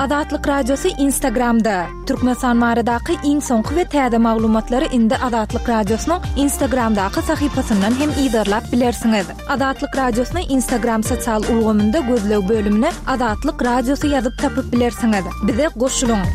Azatlyk Radiosy Instagramda! Türkmenistan baradaky iň soňky we täze maglumatlary indi Azatlyk Radiosynyň Instagramdaky sahypasyndan hem yzarlap bilersiňiz. Azatlyk Radiosyny Instagram sosial ulgamynda gözleg bölümine Azatlyk Radiosy ýazyp tapyp bilersiňiz. Bize goşulyň!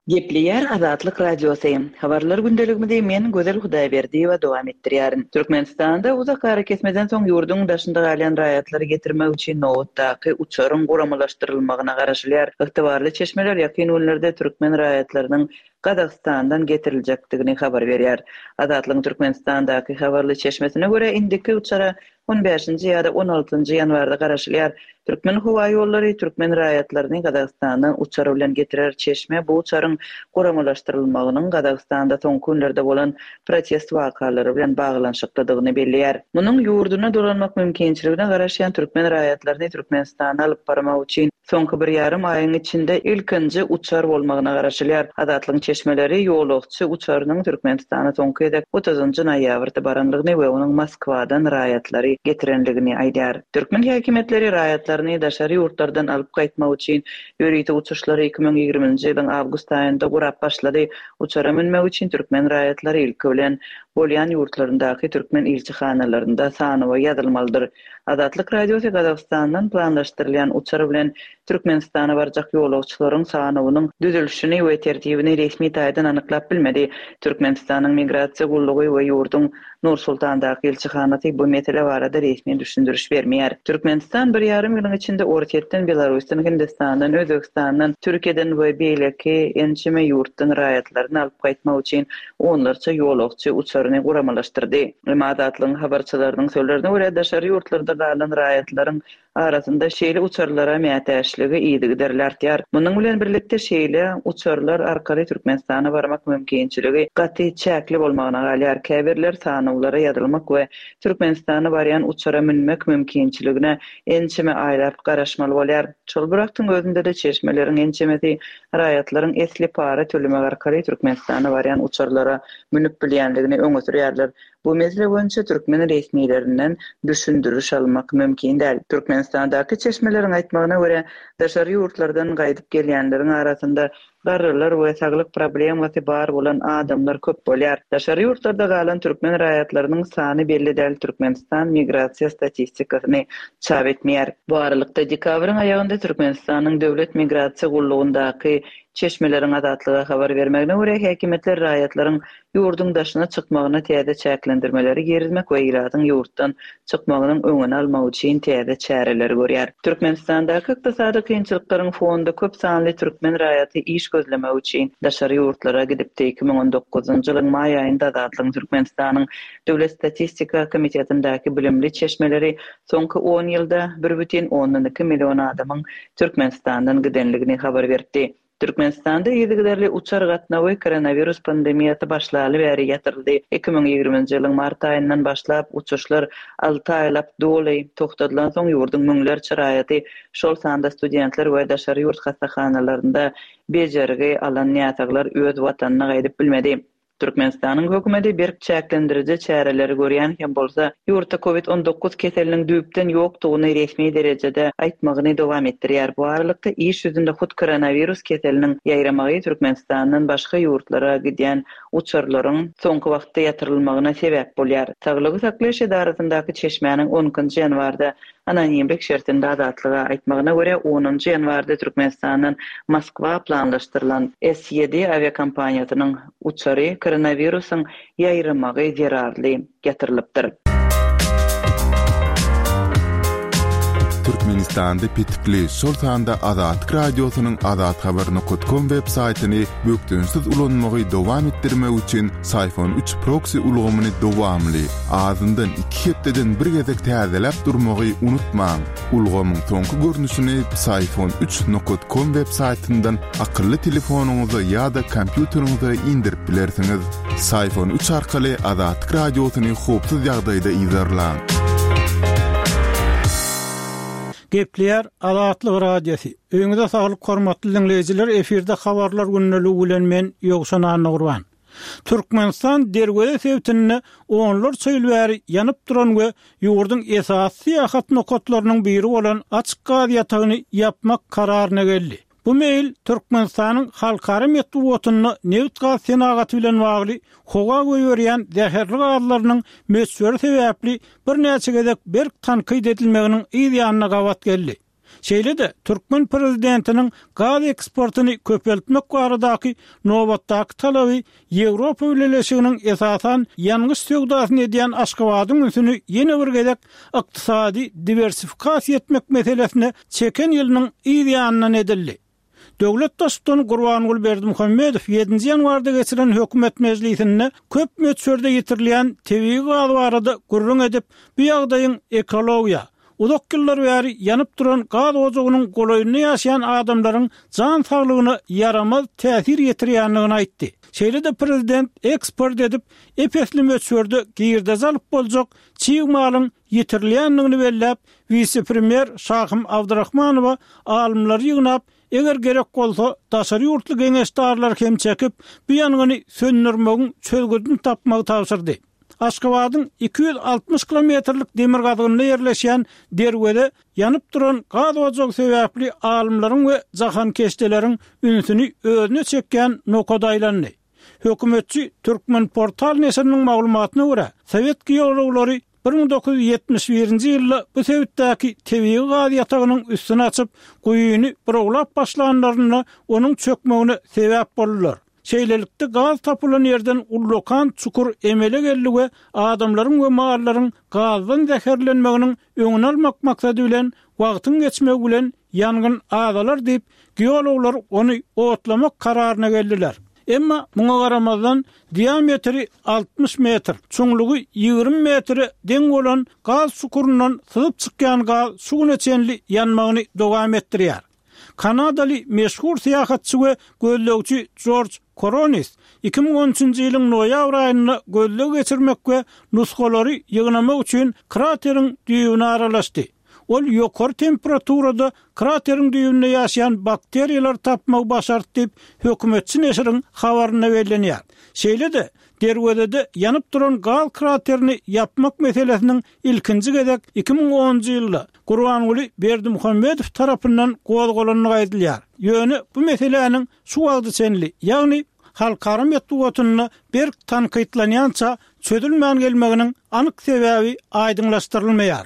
Gepleýär Azatlyk Radiosy. Habarlar gündeligimizi men, Gözel Hudaýberdiýewa dowam etdirýärin. Türkmenistanda uzak arakesmeden soň ýurduň daşynda galýan raýatlary getirmek üçin nobatdaky uçaryň guramalaşdyrylmagyna garaşylýar. Ygtybarly çeşmeler ýakyn günlerde türkmen raýatlarynyň Gazagystandan getiriljekdigini habar berýär. Azatlygyň Türkmenistandaky habarly çeşmesine görä, indiki uçara On bäşinji ýa-da on altynjy ýanwarda garaşylýar. Türkmenhowaýollary türkmen raýatlaryny Gazagystandan uçar bilen getirer Çeşme bu uçaryň guramalaşdyrylmagynyň Gazagystanda soňky günlerde bolan protest wakalary bilen baglanyşyklydygyny belleýär. Munuň ýurduna dolanmak mümkinçiligine garaşýan türkmen raýatlaryny Türkmenistana alyp barmak üçin Soňky bir ýarym aýyň içinde ilkinji uçar bolmagyna garaşylýar. Azatlygyň çeşmeleri ýolagçy uçarynyň Türkmenistana soňky gezek otuzynjy noýabrda baranlygyny we onuň Moskwadan raýatlary getirenligini aýdýar. Türkmen häkimiýetleri raýatlaryny daşary ýurtlardan alyp gaýtmak üçin ýörite uçuşlary 2020-nji ýylyň awgust aýynda gurap başlady. Uçara münmek üçin türkmen raýatlary ilki bilen bolýan ýurtlaryndaky türkmen ilçihanalarynda sanawa ýazylmalydyr. Azatlyk Radiosy Gazagystandan planlaşdyrylýan uçar bilen Türkmenistana barjak ýolagçylaryň sanawynyň düzülişini we tertibini resmi taýdan anyklap bilmedi. Türkmenistanyň Migrasiýa gullugy we ýurduň Nur-Sultandaky ilçihanasy bu mesele barada resmi düşündiriş bermeýär. Türkmenistan bir ýarym ýylyň içinde Orsýetden, Belarusdan, Hindistandan, Özbegistandan, Türkiýeden we beýleki ençeme ýurtdan raýatlaryny alyp gaýtmak üçin onlarça ýolagçy uçaryny guramalaşdyrdy. Emma Azatlygyň habarçylarynyň sözlerine görä, daşary ýurtlarda galan raýatlaryň arasynda şeýle uçarlara mätäçligi yzygiderli artýar. Munuň bilen birlikde, şeýle uçarlar arkaly Türkmenistana barmak mümkinçiligi gaty çäkli bolmagyna galýar. Käbirler sanawlara ýazylmak we Türkmenistana barýan uçara münmek mümkinçiligine ençeme aýlap garaşmaly bolýar. Şol bir wagtyň özünde-de çeşmeleriň ençemesi raýatlaryň esli para tölemek arkaly Türkmenistana barýan uçarlara münüp bilýändigini öňe sürýärler. Bu mesele boýunça türkmen resmilerinden düşündiriş almak mümkin däl. Türkmenistandaky çeşmeleriň aýtmagyna görä, daşary ýurtlardan gaýdyp gelýänleriň arasynda garrylar we saglyk problemasy bar bolan adamlar köp bolýar. Daşary ýurtlarda galan türkmen raýatlarynyň sany belli däl Türkmenistan migrasiýa statistikasyny çap etmeýär. Bu aralykda, dekabryň aýagynda Türkmenistanyň Döwlet migrasiýa gullugyndaky Çeşmeleriň Azatlyga habar bermegine görä, häkimiýetler raýatlaryň ýurduň daşyna çykmagyna täze çäklendirmeleri girizmek we ilatyň ýurtdan çykmagynyň öňüni almak üçin täze çäreleri görýär. Türkmenistandaky ykdysady kynçylyklaryň fonunda köp sanly türkmen raýaty iş gözlemek üçin daşary ýurtlara gidipdi. 2019-njy ýylyň maý aýynda Azatlygyň Türkmenistanyň Döwlet statistika komitetindäki bilimli çeşmeleri soňky on ýylda bir bütin ondan iki million adamyň Türkmenistandan gidenligini habar beripdi. Türkmenistanda yzygiderli uçar gatnawy koronawirus pandemiýasy başlaly bäri ýatyryldy. 2020-nji ýylyň mart aýyndan başlap uçuşlar alty aýlap doly togtadylansoň ýurduň müňlerçe raýaty, şol sanda studentler we daşary ýurt hassahanalarynda bejergi alan näsaglar öz watanyna gaýdyp bilmedi. Türkmenistanyň hökümeti berk çäklendiriji çäreleri görýän hem bolsa, ýurtda Covid 19 keseliniň düýpden ýokdugyny resmi derejede aýtmagyny dowam etdirýär. Bu aralykda, iş ýüzünde hut koronawirus keseliniň ýaýramagy Türkmenistandan başga ýurtlara gidýän uçarlaryň soňky wagtda ýatyrylmagyna sebäp bolýar. Saglygy saklaýyş edarasyndaky çeşmäniň on ikinji ýanwarda Anonimlik şertinde Azatlyga aýtmagyna görä, onunjy ýanwarda Türkmenistandan Moskwa planlaşdyrylan S-ýedi awiakompaniýasynyň uçary koronawirusyň ýaýramagy zerarly ýatyrylypdyr. Türkmenistanda petikli, şol sanda Azatlyk Radiosynyň azathabar nokat kom web saýtyny bökdençsiz ulanmagy dowam etdirmek üçin Syfon üç proksi ulgamyny dowamly, azyndan iki hepdeden bir gezek täzeläp durmagy unutmaň. Ulgamyň soňky görnüşini Psiphon üç nokat kom web saýtyndan akylly telefonyňyza ýa-da kompýuteriňize indirip bilersiňiz. Psiphon üç arkaly Azatlyk Radiosyny howpsuz ýagdaýda yzarlaň. Gepleýär Azatlyk Radiosy. Öýüňize saglyk hormatly diňleýjiler efirde habarlar gündeligi bilen men Ýowşan Annagurban. Türkmenistan Derweze sebitinde onlarça ýyl bäri ýanyp duran we ýurduň esasy syýahat nokatlarynyň biri bolan açyk gaz ýatagyny ýapmak kararyna geldi. Bu meýil Türkmenistanyň halkara metbugatynda nebit-gaz senagaty bilen bagly howa goýberýän zäherli gazlarynyň möçberi sebäpli birnäçe gezek berk tankyt edilmeginiň yz ýanyna gabat geldi. Şeýle-de, türkmen prezidentiniň gaz eksportyny köpeltmek baradaky nobatdaky talaby Ýewropa Bileleşiginiň esasan ýangyç söwdasyny edýän Aşgabadyň ünsüni ýene bir gezek ykdysady diwersifikasiýa etmek meselesine çeken ýylynyň yz ýanyndan edildi. Döwlet Baştutany Gurbanguly Berdimuhamedow ýedinji ýanwarda geçiren hökümet mejlisinde köp möçberde ýitirilýän tebigy gaz barada gürrüň edip, bu ýagdaýyň ekologiýa, uzak ýyllar bäri ýanyp duran gaz ojagynyň golaýynda ýaşaýan adamlaryň jan saglygyna ýaramaz täsir ýetirýändigini aýtdy. Şeýle-de prezident eksport edip, ep-esli möçberde girdeji alyp boljak çig malyň ýitirilýändigini belläp, wise-premýer Şahym Abdyrahmanowa alymlary ýygnap, eger gerek bolsa, daşary ýurtly geňeşdarlary hem çekip, bu ýangyny söndürmegiň çözgüdini tapmagy tabşyrdy. Aşgabadyň 260 kilometrlik demirgazygynda ýerleşýän Derweze ýanyp duran gaz ojagy sebäpli alymlaryň we jahankeşdeleriň ünsüni özüne çekýän nokada aýlandy. Hökümetçi Türkmenportal neşiriniň maglumatyna görä, sowet geologlary 1971-nji ýylda bu sebitdäki tebigy gaz ýatagynyň üstüni açyp, guýyny burawlap başlanlarynda onuň çökmegine sebäp boldular. Şeýlelikde, gaz tapylan ýerden ullakan çukur emele geldi we adamlaryň we mallaryň gazdan zäherlenmeginiň öňüni almak maksady bilen, wagtyň geçmegi bilen ýangyn azalar diýip, geologlar ony otlamak kararyna geldiler. Emma muňa garamazdan, diametri 60 metr, çuňlugy 20 metre deň bolan gaz çukuryndan syzyp çykýan gaz şu güne çenli ýanmagyny dowam etdirýär. Kanadaly meşhur syýahatçy we gözlegçi Jorj Koronis 2013-nji ýylyň noýabr aýynda gözleg geçirmek we nusgalary ýygnamak üçin krateriň düýbüne aralaşdy. Ol ýokary temperaturada krateriň düýbünde ýaşaýan bakteriýalary tapmagy başardy diýip, hökümetçi neşiriň habarynda bellenýär. Şeýle-de, Derwezede ýanyp duran gaz kraterini ýapmak meselesiniň ilkinji gezek 2010-njy ýylda Gurbanguly Berdimuhamedow tarapyndan gozgalandygy aýdylýar. Ýöne bu meseläniň şu wagta çenli, ýagny halkara metbugatynda berk tankytlanýança çözülmän gelmeginiň anyk sebäbi aýdyňlaşdyrylmaýar.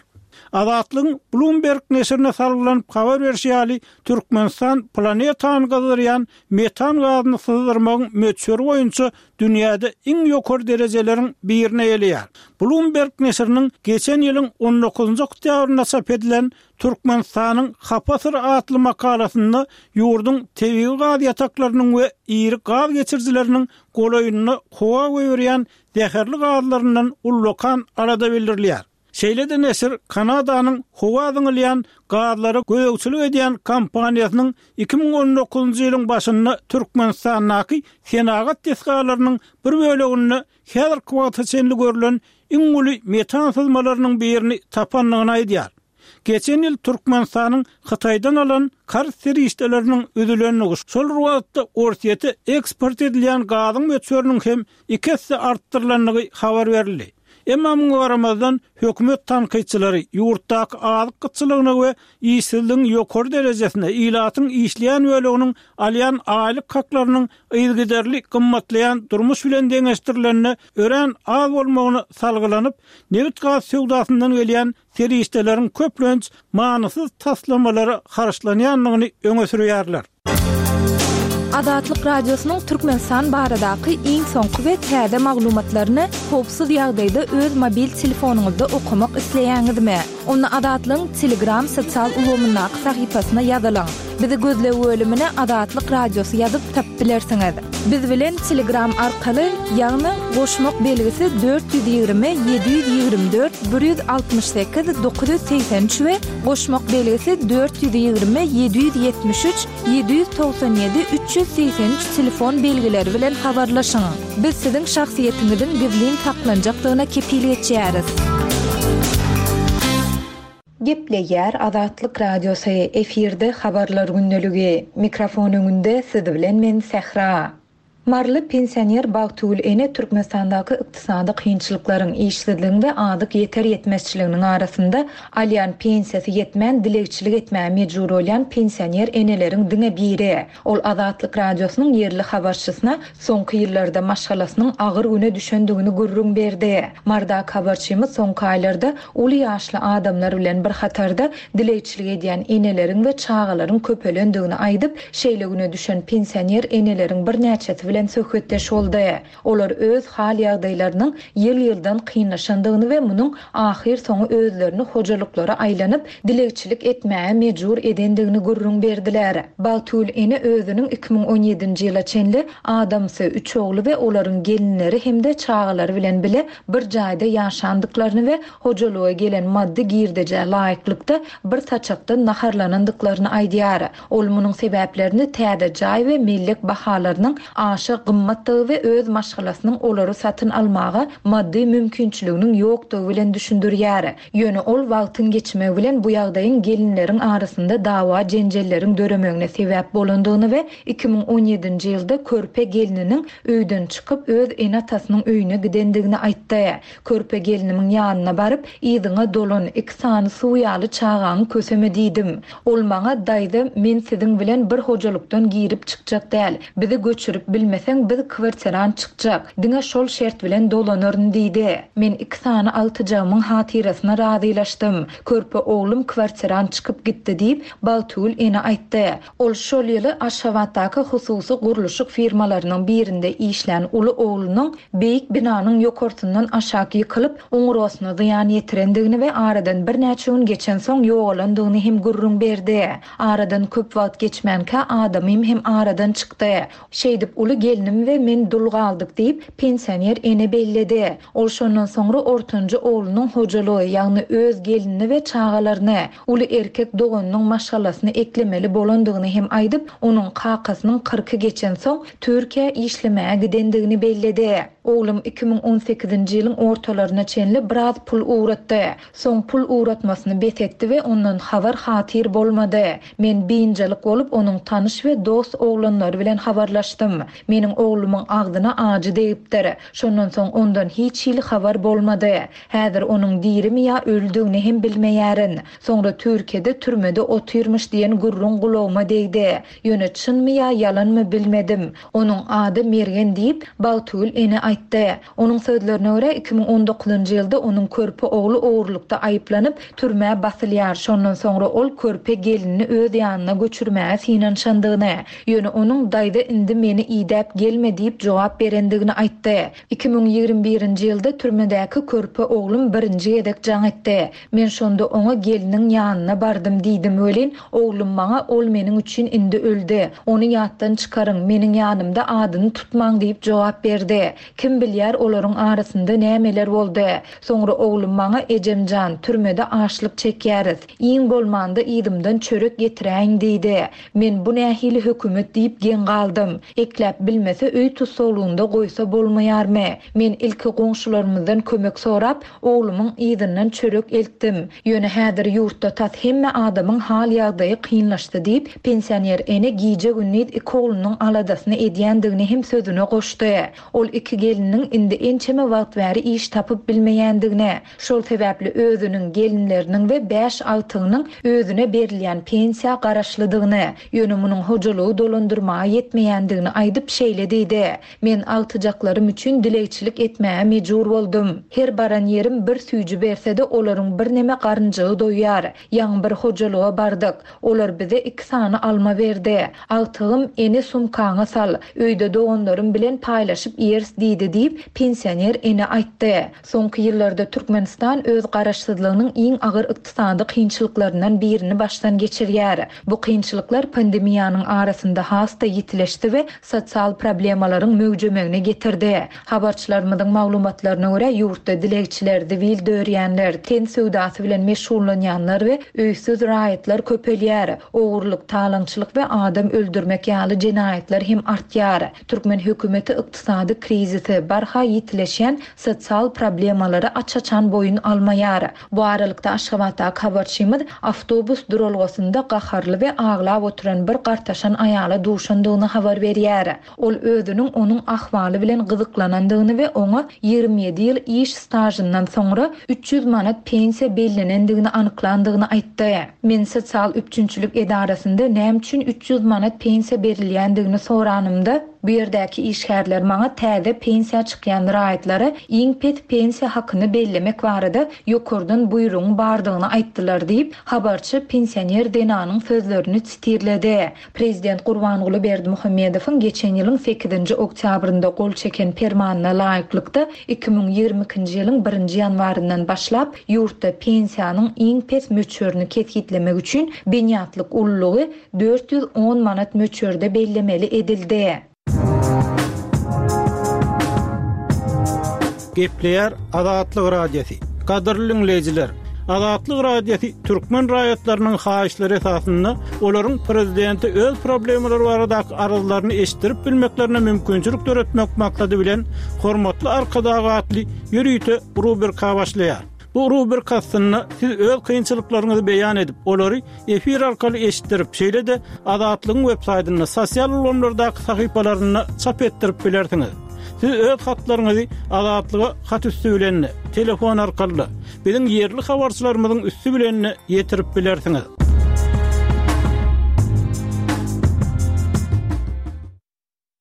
Azatlygyň Bloomberg neşirine salgylanyp habar berşi ýaly, Türkmenistan planetany gyzdyrýan metan gazyny syzdyrmagyň möçberi boýunça dünýäde iň ýokary derejeleriň birini eýeleýär. Bloomberg neşiriniň geçen ýylyň on dokuzynjy oktýabrynda çap edilen Türkmenistanyň hapa syry atly makalasynda ýurduň tebigy gaz ýataklarynyň we iri gaz geçirijileriniň golaýynda howa goýberýän zäherli gazlaryndan ullakan alada bildirilýär. Şeýle-de neşir Kanadanyň howa zyňylýan gazlara gözegçilik edýän kompaniýasynyň 2019-njy ýylyň başynda Türkmenistandaky senagat desgalarynyň bir böleginde häzirki wagta çenli görlen iň uly metan syzmalarynyň birini tapandygyny aýdýar. Geçen ýyl Türkmenistanyň Hytaýdan alan karz serişdeleriniň üzülendigi, şol bir wagtda Orsýete eksport edilýän gazyň möçberiniň hem iki esse artdyrylandygy habar berildi. Emma muňa garamazdan, hökümet tankytçylary ýurtdaky azyk gytçylygyna we işsizligiň ýokary derejesine, ilatyň işleýän böleginiň alýan aýlyk haklarynyň yzygiderli gymmatlaýan durmuş bilen deňeşdirilende örän az bolmagyna salgylanyp, nebit-gaz söwdasyndan gelýän serişdeleriň köplenç manysyz taslamalara harçlanýandygyny öňe sürýärler. Azatlyk Radiosynyň Türkmenistan baradaky iň soňky we täze maglumatlaryny howpsuz ýagdaýda öz mobil telefonyňyzda okamak isleýäňizmi? Onda Azatlygyň Telegram sosial ulgamyndaky sahypasyna ýazylyň. Bizi gözleg bölümine Azatlyk Radiosy ýazyp tapyp bilersiňiz. Biz bilen Telegram arkaly, ýagny goşmak belgisi 420 724 168 983 we goşmak belgisi 420 773 797 383 telefon belgileri bilen habarlaşyň. Biz siziň şahsyýetiňiziň gizlin saklanjakdygyna kepil geçýäris. Gepleýär Azatlyk Radiosy, efirde Habarlar gündeligi. Mikrofon öňünde siz bilen men Sähra. Maryly pensioner Bagtygül ene Türkmenistandaky ykdysady kynçylyklaryň, işsizligiň we azyk ýeter-ýetmezçiliginiň arasynda alýan pensiýasy ýetmän dilegçilik etmäge mejbur bolýan pensioner eneleriň diňe biri. Ol Azatlyk Radiosynyň ýerli habarçysyna soňky ýyllarda maşgalasynyň agyr güne düşendigini gürrüň berdi. Marydaky habarçymyz soňky aýlarda uly ýaşly adamlar bilen bir hatarda dilegçilik edýän eneleriň we çagalaryň köpelendigini aýdyp, şeýle güne düşen pensioner eneleriň birnäçesi bilen söhbetdeş boldy. Olar öz hal-ýagdaýlarynyň ýyl-ýyldan kynlaşandygyny we munuň ahyrsoňy özlerini hojalyklara aýlanyp, dilegçilik etmäge mejbur edendigini gürrüň berdiler. Bagtygül ene özüniň 2017-nji ýyla çenli adamsy, üç ogly we olaryň gelinleri hem-de çagalary bilen bile bir jaýda ýaşandyklaryny we hojalyga gelen maddy girdejä laýyklykda bir saçakdan naharlanandyklaryny aýdýar. Ol munuň sebäplerini täze jaý we mellek bahalarynyň aşa gymmatdygy we öz maşgalasynyň olary satyn almaga maddy mümkinçiliginiň ýokdugy bilen düşündirýär. Ýöne ol wagtyň geçmegi bilen bu ýagdaýyň gelinleriň arasynda dawa-jenjelleriň döremegine sebäp bolandygyny we 2017-nji ýylda körpe gelniniň öýden çykyp öz ene-atasynyň öýüne gidendigini aýtdy. Körpe gelnimiň ýanyna baryp, Yzyňa dolan, iki sany suw ýaly çagaňy köseme diýdim. Ol maňa, Daýza, men siziň bilen bir hojalykdan girip çykjak däl. Bizi göçürip bilmeseň, biz kwartirant çykjak. Diňe şol şert bilen dolanaryn diýdi. Men iki sany agtyjagymyň hatyrasyna razylaşdym. Körpe oglum kwartirant çykyp gitdi diýip, Bagtygül ene aýtdy. Ol şol ýyly Aşgabatdaky hususy gurluşyk firmalarynyň birinde işlän uly oglunyň beýik binanyň ýokarsyndan aşak ýykylyp, oňurgasyna zyýan ýetirendigini we aradan birnäçe gün geçensoň ýogalandygyny hem gürrüň berdi. Aradan köp wagt geçmänkä adamym hem aradan çykdy. Şeýdip uly gelnim we men dul galdyk diýip, pensioner ene belledi. Ol şondan soňra ortanjy oglunyň hojalygy, ýagny öz gelinini we çagalaryny, uly erkek doganynyň maşgalasyny eklemeli bolandygyny hem aýdyp, onuň kakasynyň kyrky geçensoň, Türkiýä işlemäge gidendigini belledi. Oglum 2018-nji ýylyň ortalaryna çenli biraz pul ugratdy. Soň pul ugratmasyny bes etdi we ondan habar-hatyr bolmady. Men biynjalyk bolup, onuň tanyş we dost oglanlary bilen habarlaşdym. Meniň oglumyň agzyna ajy degipdir. Şondan soň ondan hiç hili habar bolmady. Häzir onuň dirimi ýa ölüdigini hem bilmeýärin. Soňra Türkiýede türmede otyrmyş diýen gürrüň gulagyma degdi. Ýöne çynmy ýa ýalanmy bilmedim. Onuň ady Mergen diýip, Bagtygül ene aýtdy. Onuň sözlerine görä, 2019-njy ýylda onuň körpe ogly ogurlykda aýyplanyp, türmä basylýar, şondan soňra ol körpe gelinini öz ýanyna göçürmäge synanyşandygyny, ýöne onuň daýza indi meni idäp gelme diýip jogap berendigini aýtdy. 2021-nji ýylda türmedäki körpe oglum birinji gezek jaň etdi. Men şonda oňa gelniň ýanyna bardym diýdim welin, oglum maňa ol meniň üçin indi öldi, ony ýatdan çykaryň, meniň ýanymda adyny tutmaň diýip jogap berdi. Kim bilýär olaryň arasynda nämeler boldy. Soňra oglum maňa ejem jan, türmede açlyk çekýäris. Iň bolmanda yzymdan çörek getiräýiň diýdi. Men bu nähili hökümet diýip geň galdym. Ekläp bilmese öý tussaglygynda goýsa bolmaýarmy? Men ilki goňşularymyzdan kömek sorap, oglumyň yzyndan çörek eltdim. Ýöne häzir ýurtda tas hemme adamyň hal-ýagdaýy kynlaşdy diýip, pensioner ene gije-gündiz iki oglunyň aladasyny edýändigini hem sözüne goşdy. Ol iki gelniniň indi ençeme wagt bäri iş tapyp bilmeýändigini, şol sebäpli özüniň, gelinleriniň we bäş agtygynyň özüne berilýän pensiýa garaşlydygyny, ýöne munuň hojalygy dolandyrmaga ýetmeýändigini aýdyp, şeýle diýdi, Men agtyjaklarym üçin dilegçilik etmäge mejbur boldum. Her baran ýerim bir süýji berse-de olaryň birneme garynjygy doýýar. Ýaňy bir hojalyga bardyk. Olar bize iki sany alma berdi. Agtygym, Ene sumkaňa sal, öýde doganlarym bilen paýlaşyp iýeris diýdi diýip, pensioner ene aýtdy. Soňky ýyllarda Türkmenistan öz garaşsyzlygynyň iň agyr ykdysady kynçylyklaryndan birini başdan geçirýär. Bu kynçylyklar pandemiýanyň arasynda has-da ýitileşdi we sosial problemalaryň möwjemegine getirdi. Habarçylarymyzyň maglumatlaryna görä, ýurtda dilegçiler, zibil dörýänler, ten söwdasy bilen meşgullanýanlar we öýsüz raýatlar köpelýär. Ogurlyk, talaňçylyk we adam öldürmek ýaly jenaýatlar hem artýar. Türkmen hökümeti ykdysady krizisi, barha ýitileşýän sosial problemalary aç-açan boýun almaýar. Bu aralykda, Aşgabatdaky habarçymyz awtobus duralgasynda gaharly we aglap oturan bir gartaşan aýala duşandygyny habar berýär. Ol özüniň onuň ahwaly bilen gyzyklanandygyny we oňa 27 ýyl iş stažyndan soňra 300 manat pensiýa bellenendigini anyklandygyny aýtdy. Men sosial üpjünçilik edarasynda näme üçin 300 manat pensiýa berilýändigini soranymda, bu ýerdäki işgärler maňa täze pensiýa çykýan raýatlara iň pes pensiýa hakyny bellemek barada ýokardan buýrugyň bardygyny aýtdylar diýip, habarçy pensioner zenanyň sözlerini sitirledi. Prezident Gurbanguly Berdimuhamedowyň geçen ýylyň sekizinji oktýabrynda gol çeken Permanyna laýyklykda, 2022-nji ýylyň birinji ýanwaryndan başlap, ýurtda pensiýanyň iň pes möçberini kesgitlemek üçin binýatlyk ululygy 410 manat möçberde bellemeli edildi. Gepleýär Azatlyk Radiosy. Gadyrly diňleýjiler, Azatlyk Radiosy türkmen raýatlarynyň haýyşlary esasynda olaryň prezidente öz problemalary baradaky arzlaryny eşitdirip bilmeklerine mümkinçilik döretmek maksady bilen Hormatly Arkadag atly ýörite rubrika başlaýar. Bu rubrika astynda siz öz kynçylyklaryňyzy beýan edip, olary efir arkaly eşitdirip, şeýle-de Azatlygyň web saýtynda, sosial ulgamlardaky sahypalarynda çap etdirip bilersiňiz. Siz öz hatlaryňyzy Azatlyga hat üsti bilen-de, telefon arkaly-da, biziň ýerli habarçylarymyzyň üsti bilen-de ýetirip bilersiňiz.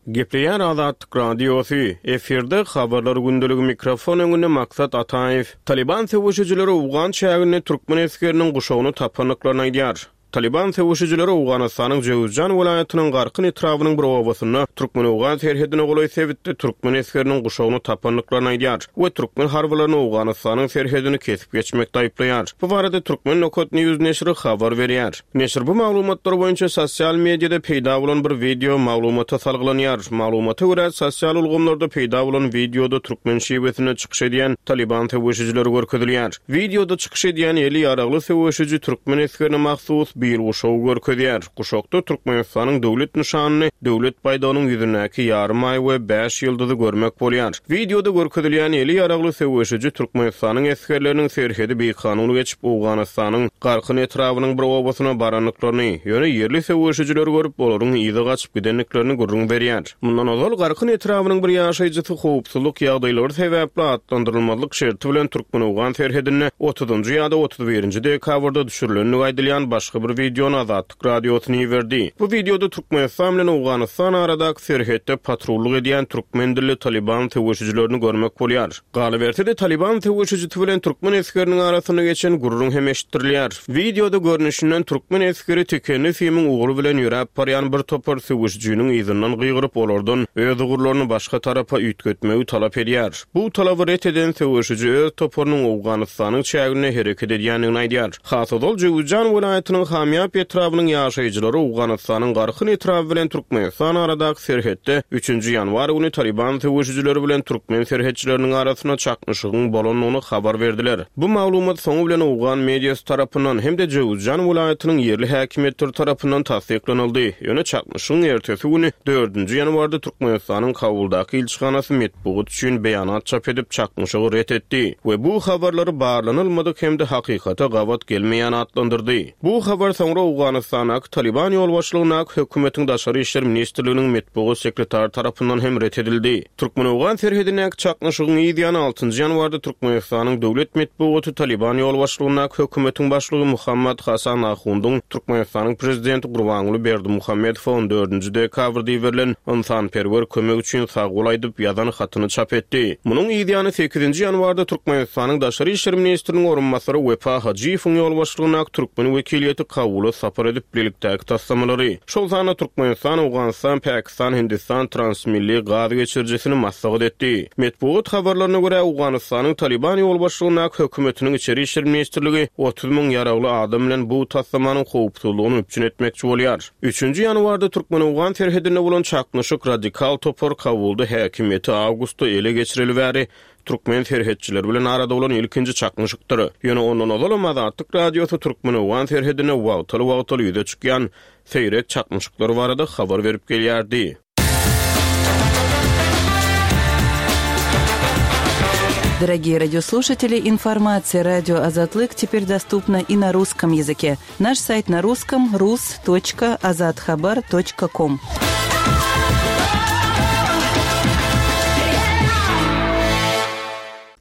Gepleýär Azatlyk Radiosy, efirde Habarlar gündeligi mikrofon öňünde Maksat Ataýew. Talyban söweşijileri owgan çäginde türkmen esgeriniň guşagyny tapandyklaryny aýdýar. Talyban söweşijileri Owganystanyň Jöwüzjan welaýatynyň Garkyn etrabynyň bir obasynda türkmen-owgan serhedine golaý sebitde türkmen esgeriniň guşagyny tapandyklaryny aýdýar we türkmen harbylaryny Owganystanyň serhedini kesip geçmekde aýyplaýar. Bu barada Turkmen. News neşiri habar berýär. Neşir bu maglumatlar boýunça sosial mediada peýda bolan bir wideo maglumata salgylanýar. Maglumata görä, sosial ulgamlarda peýda bolan wideoda türkmen şiwesinde çykyş edýän Talyban söweşijileri görkezilýär. Wideoda çykyş edýän eli ýaragly söweşiji türkmen esgerine mahsus bil guşagy görkezýär. Guşakda Türkmenistanyň döwlet nyşanyny, döwlet baýdagynyň ýüzündäki ýarym aý we bäş ýyldyzy görmek bolýar. Wideoda görkezilýän eli ýaragly söweşiji Türkmenistanyň esgerleriniň serhedi bikanun geçip, Owganystanyň Garkyn etrabynyň bir obasyna barandyklaryny, ýöne ýerli söweşijileri görüp, olaryň yza gaçyp gidendiklerini gürrüň berýär. Mundan ozal, Garkyn etrabynyň bir ýaşaýjysy howpsuzlyk ýagdaýlary sebäpli atlandyrylmazlyk şerti bilen türkmen-owgan serhedinde otuzynjy ýa-da 31-nji dekabrda düşürilendigi aýdylýan başga bir wideony Azatlyk Radiosyna iberdi. Bu wideoda Türkmenistan bilen Owganystan aradaky serhetde patrullyk edýän türkmen dilli Talyban söweşijilerini görmek bolýar. Galyberse-de, Talyban söweşijisi bilen türkmen esgeriniň arasynda geçen gürrüň hem eşitdirilýär. Wideoda görnüşinden, türkmen esgeri tikenli simiň ugry bilen ýöräp barýan bir topar söweşijiniň yzyndan gygyryp, olardan öz ugurlaryny başga tarapa üýtgetmegi talap edýär. Bu talaby ret eden söweşiji öz toparynyň Owganystanyň çäginde hereket edýändigini aýdýar. Has ozal Jöwüzjan welaýatynyň Hamýap etrabynyň ýaşaýjylary Owganystanyň Garkyn etraby bilen Türkmenistan aradaky serhetde üçünji ýanwar güni Talyban söweşijileri bilen türkmen serhetçileriniň arasynda çaknyşygyň bolandygyny habar berdiler. Bu maglumat soňy bilen owgan mediasy tarapyndan hem-de Jöwüzjan welaýatynyň ýerli häkimiýetleri tarapyndan tassyklanyldy. Ýöne çaknyşygyň ertesi güni, dördünji ýanwarda Türkmenistanyň Kabuldaky ilçihanasy metbugat üçin beýanat çap edip, çaknyşygy ret etdi we bu habarlary barlanylmadyk hem-de hakykata gabat gelmeýän atlandyrdy. Bu habar soňra Owganystandaky Talyban ýolbaşçylygyndaky hökümetiň Daşary işler ministrliginiň metbugat sekretary tarapyndan hem ret edildi. Türkmen-owgan serhedindäki çaknyşygyň yz ýany altynjy ýanwarda Türkmenistanyň döwlet metbugaty Talyban ýolbaşçylygyndaky hökümetiň başlygy Muhammad Hasan Ahundyň Türkmenistanyň prezidenti Gurbanguly Berdimuhamedowa on dördünji dekabrda iberilen ynsanperwer kömek üçin sagbol aýdyp ýazan hatyny çap etdi. Munuň yz ýany sekizinji ýanwarda Türkmenistanyň Daşary işler ministriniň orunbasary Wepa Hajyýewiň ýolbaşçylygyndaky türkmen wekiliýeti Kabula sapar edip, bilelikdäki taslamalary, şol sanda Türkmenistan, Owganystan, Pakistan, Hindistan transmilli gaz geçirijisini maslahat etdi. Metbugat habarlaryna görä, Owganystanyň Talyban ýolbaşçylygyndaky hökümetiniň Içeri işler ministrligi 30 müň ýaragly adam bilen bu taslamanyň howpsuzlygyny üpjün etmekçi bolýar. Üçünji ýanwarda türkmen-owgan serhedinde bolan çaknyşyk radikal topar Kabulda häkimiýeti awgustda ele geçireli bäri türkmen serhetçileri bilen arada bolan ilkinji çaknyşykdyr. Ýöne ondan ozalam Azatlyk Radiosy türkmen-owgan serhedinde wagtal-wagtal ýüze çykýan seýrek çaknyşyklar barada habar berip gelýärdi. Дорогие радиослушатели, информация радио Азатлык теперь доступна и на русском языке. Наш сайт на русском rus.azathabar.com.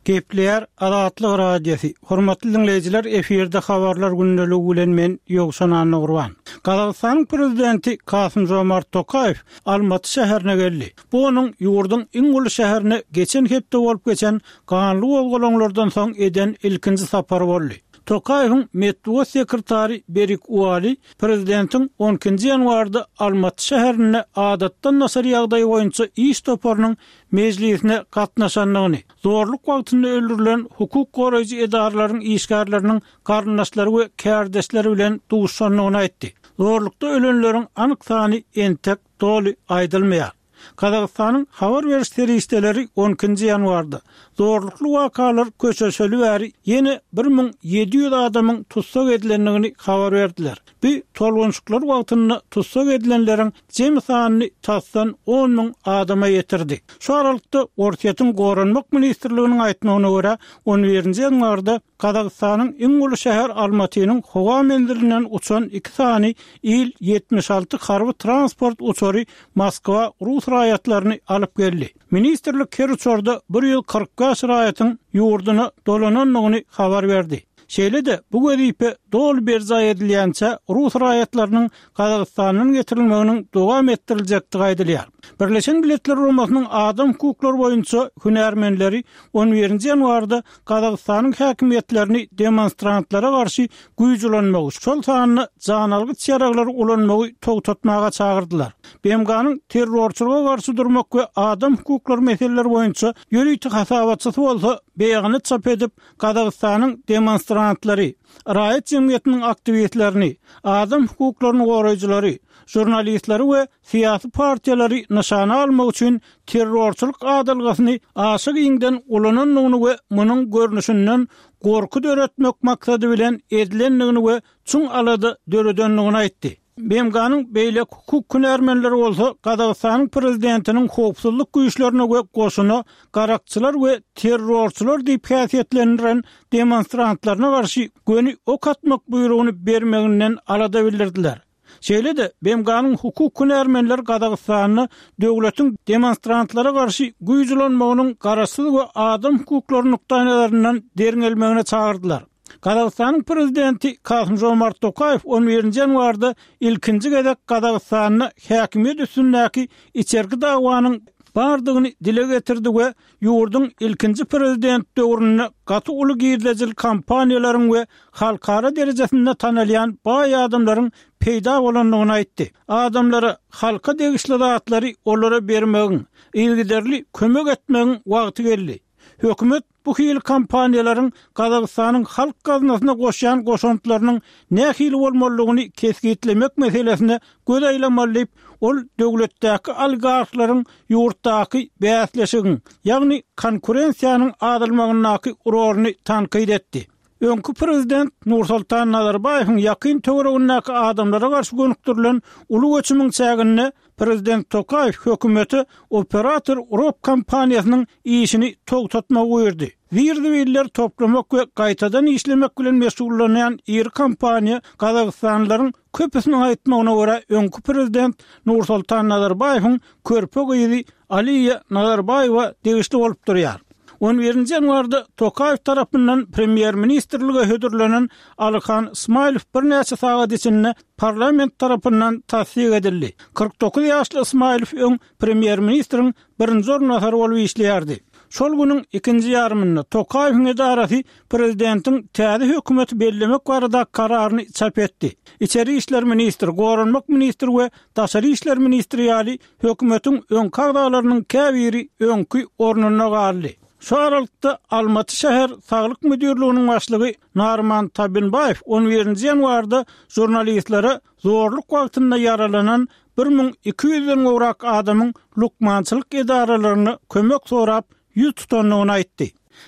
Gepleýär Azatlyk Radiosy, Hormatly diňleýjiler, efirde Habarlar gündeligi bilen men Ýowşan Annagurban. Gazagystanyň Prezidenti Kasym-Žomart Tokaýew Almaty şäherine geldi. Bu onuň ýurduň iň uly şäherine geçen hepde bolup geçen ganly gozgalaňlardan soň eden ilkinji sapary boldy. Tokaýewiň metbugat sekretary Berik Uali prezidentiň on ikinji ýanwarda Almaty şäherinde adatdan daşary ýagdaý boýunça iş toparynyň mejlisine gatnaşandygyny, zorluk wagtynda öldürilen hukuk goraýjy edaralaryň işgärleriniň garyndaşlary we kärdeşleri bilen duşuşandygyny aýtdy. Zorlukda ölenleriň anyk sany entek doly aýdylmaýar. Gazagystanyň habar beriş serişdeleri on ikinji ýanwarda, zorlukly wakalar köşeşeli bäri ýene 1700 adamyň tussag edilendigini habar berdiler. Bu tolgunşyklar wagtynda tussag edilenleriň jemi sanyny tasdan on müň adama ýetirdi. Şu aralykda, Orsýetiň Goranmak ministrliginiň aýtmagyna görä, on birinji ýanwarda Gazagystanyň iň uly şäher Almatynyň howa menzilinden uçan iki sany Il-76 harby transport uçary Moskwa rus raýatlaryny alyp geldi. Ministrlik her uçarda 145 raýatyň ýurduna dolanandygyny habar berdi. Şeýle-de, bu wezipe doly berjaý edilýänçä rus raýatlarynyň Gazagystandan getirilmeginiň dowam etdiriljekdigi aýdylýar. Birleşen Milletler Guramasynyň adam hukuklary boýunça hünärmenleri on birinji ýanwarda Gazagystanyň häkimiýetlerini demonstrantlara garşy güýç ulanmagy, şol sanda janalgyç ýaraglary ulanmagy togtatmaga çagyrdylar. BMG-niň terrorçylyga garşy durmak we adam hukuklary meseleleri boýunça ýörite hasabatçysy bolsa beýanat çap edip, Gazagystanyň demonstrantlary, raýat jemgyýetiniň aktiwistlerini, adam hukuklaryny goraýjylary, žurnalistleri we syýasy partiýalary nyşana almak üçin terrorçylyk adalgasyny aşa giňden ulanandygyny we munuň görnüşinden gorky döretmek maksady bilen edilendigini we çuň alada döredendigini aýtdy. BMG-niň beýleki hukuk hünärmenleri bolsa Gazagystanyň prezidentiniň howpsuzlyk güýçlerine we goşuna garakçylar we terrorçylar diýip häsiýetlendiren demonstrantlaryna garşy göni ok atmak buýrugyny bermeginden alada bildirdiler. Şeýle-de, BMG-niň hukuk hünärmenleri Gazagystanda döwletiň demonstrantlara garşy güýç ulanmagynyň garaşsyz we adam hukuklary nukdaýnazaryndan derňelmegine çagyrdylar. Gazagystanyň prezidenti Kasym-Žomart Tokaýew on birinji ýanwarda ilkinji gezek Gazagystanda häkimiýet üstündäki içerki dawanyň bardygyny dile getirdi we ýurduň ilkinji prezident döwründe gaty uly girdejili kompaniýalaryň we halkara derejesinde tanalýan baý adamlaryň peýda bolandygyny aýtdy. Adamlara halka degişli zatlary olara bermegiň, yzygiderli kömek etmegiň wagty geldi. Hökümet bu hili kompaniýalaryň Gazagystanyň halk gaznasyna goşýan goşantlarynyň nähili bolmalydygyny kesgitlemek meselesine göz aýlamaly diýip, ol döwletdäki oligarhlaryň ýurtdaky bäsleşigiň, ýagny konkurensiýanyň azalmagyndaky roluny tankyt etdi. Öňki prezident Nursultan Nazarbaýewiň ýakyn töweregindäki adamlara garşy gönükdirilen uly göçümiň çäginde prezident Tokaýew hökümete Operator Rop kompaniýasynyň işini togtatmagy buýurdy. Zir-zibilleri toplamak we gaýtadan işlemek bilen meşgullanýan iri kompaniýa gazagystanlylaryň köpüsiniň aýtmagyna görä öňki prezident Nursultan Nazarbaýewiň körpe gyzy Aliýa Nazarbaýewa degişli bolup durýar. On birinji ýanwarda Tokaýew tarapyndan premýer-ministrlige hödürlenen Alyhan Smailow birnäçe sagat içinde parlament tarapyndan tassyk edildi. 49 ýaşly Smailow öň premýer-ministriň birinji orunbasary bolup işleýärdi. Şol günüň ikinji ýarymynda Tokaýewiň edarasy prezidentiň täze hökümeti bellemek barada kararyny çap etdi. Içeri işler ministri, goranmak ministri we daşary işler ministri ýaly Hökümetiň öňki agzalarynyň käbiri öňki ornunda galdy. Şu aralykda, Almaty şäher saglyk müdirliginiň başlygy Narman Tabinbaýew on birinji ýanwarda žurnalistlere zorluk wagtynda ýaralanan 1200 ýüzden gowrak adamyň lukmançylyk edaralaryna kömek sorap ýüz tutandygyny aýtdy.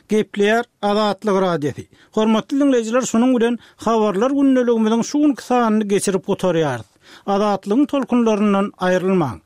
Gepleýär Azatlyk Radiosy. Hormatly diňleýjiler şunuň bilen Habarlar gündeligimiziň şu günki sanyny geçirip gutarýarys. Azatlygyň tolkunlaryndan aýrylmaň.